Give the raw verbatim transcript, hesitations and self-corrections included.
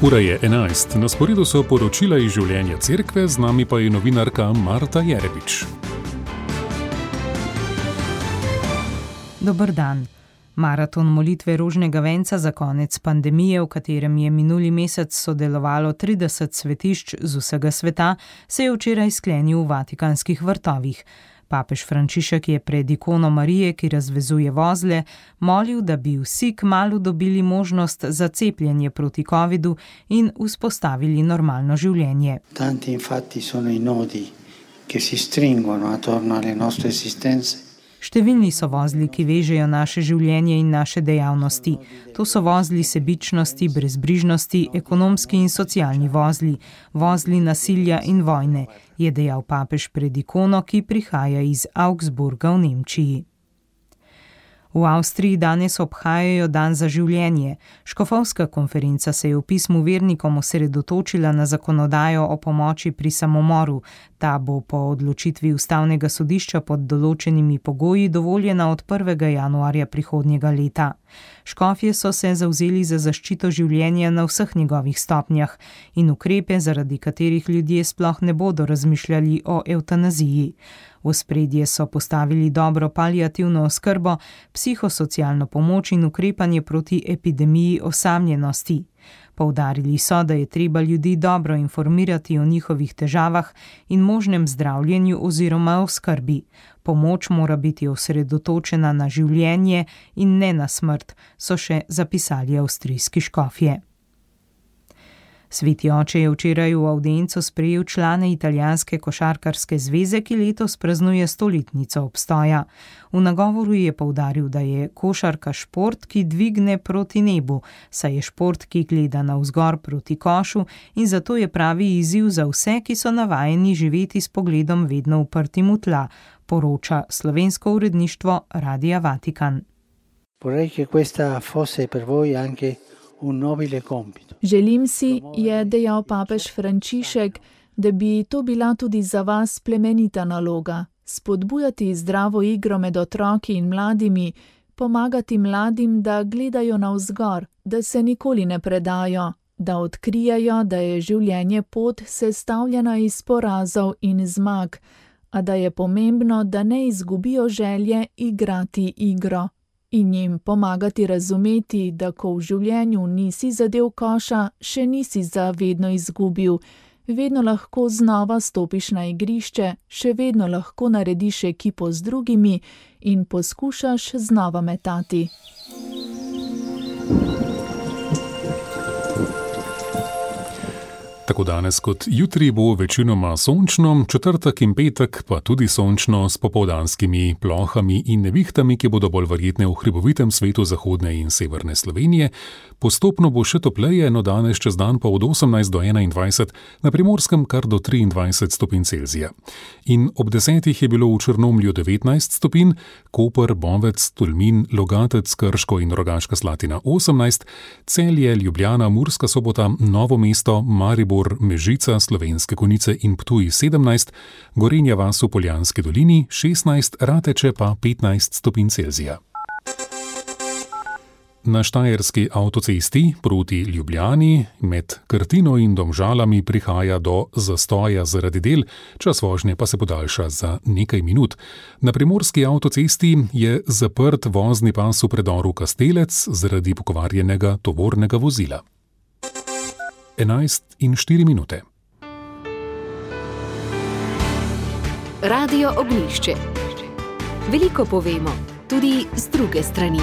Ura je enajst, na sporedu so poročila iz življenja cerkve, z nami pa je novinarka Marta Jerebič. Dober dan. Maraton molitve rožnega venca za konec pandemije, v katerem je minuli mesec sodelovalo trideset svetišč z vsega sveta, se je včeraj sklenil v Vatikanskih vrtovih. Papež Frančišek je pred ikono Marije, ki razvezuje vozle, molil, da bi vsi kmalu dobili možnost za cepljenje proti covidu in vzpostavili normalno življenje. Tanti infatti sono i nodi che si stringono attorno alle nostre esistenze. Številni so vozli, ki vežejo naše življenje in naše dejavnosti. To so vozli sebičnosti, brezbrižnosti, ekonomski in socialni vozli, vozli nasilja in vojne, je dejal papež pred ikono, ki prihaja iz Augsburga v Nemčiji. V Avstriji danes obhajajo dan za življenje. Škofovska konferenca se je v pismu vernikom osredotočila na zakonodajo o pomoči pri samomoru. Ta bo po odločitvi ustavnega sodišča pod določenimi pogoji dovoljena od prvega januarja prihodnjega leta. Škofje so se zavzeli za zaščito življenja na vseh njegovih stopnjah in ukrepe, zaradi katerih ljudje sploh ne bodo razmišljali o evtanaziji. V ospredje so postavili dobro paliativno oskrbo, psihosocialno pomoč in ukrepanje proti epidemiji osamljenosti. Poudarili so, da je treba ljudi dobro informirati o njihovih težavah in možnem zdravljenju oziroma oskrbi. Pomoč mora biti osredotočena na življenje in ne na smrt, so še zapisali avstrijski škofje. Sveti oče je včeraj v avdienco sprejel člane italijanske košarkarske zveze, ki letos praznuje stoletnico obstoja. V nagovoru je poudaril, da je košarka šport, ki dvigne proti nebu, saj je šport, ki gleda navzgor proti košu in zato je pravi izziv za vse, ki so navajeni živeti s pogledom vedno uprtim v tla, poroča slovensko uredništvo Radia Vatikan. Vorrei che questa fosse per voi anche un nobile compito. Želim si, je dejal papež Frančišek, da bi to bila tudi za vas plemenita naloga. Spodbujati zdravo igro med otroki in mladimi, pomagati mladim, da gledajo navzgor, da se nikoli ne predajo, da odkrijajo, da je življenje pot sestavljena iz porazov in zmag, a da je pomembno, da ne izgubijo želje igrati igro. In jim pomagati razumeti, da ko v življenju nisi zadel koša, še nisi zavedno izgubil, vedno lahko znova stopiš na igrišče, še vedno lahko narediš ekipo z drugimi in poskušaš znova metati. Tako danes kot jutri bo večinoma sončno, četrtek in petek pa tudi sončno s popoldanskimi plohami in nevihtami, ki bodo bolj verjetne v hribovitem svetu zahodne in severne Slovenije. Postopno bo še topleje, no danes čez dan pa od osemnajst do enaindvajset, na Primorskem kar do triindvajset stopinj Celzija. In ob desetih je bilo v Črnomlju devetnajst stopinj, Koper, Bovec, Tolmin, Logatec, Krško in Rogaška Slatina osemnajst, Celje, Ljubljana, Murska Sobota, Novo mesto, Maribor, Mežica, Slovenske Konjice in Ptuj sedemnajst, Gorenja vas v Poljanski dolini šestnajst, Rateče pa petnajst stopinj Celzija. Na štajerski avtocesti proti Ljubljani med Krtino in Domžalami prihaja do zastoja zaradi del, čas vožnje pa se podaljša za nekaj minut. Na primorski avtocesti je zaprt vozni pas v predoru Kastelec zaradi pokvarjenega tovornega vozila. enajst in štiri minute. Radio Ognjišče. Veliko povemo, tudi z druge strani.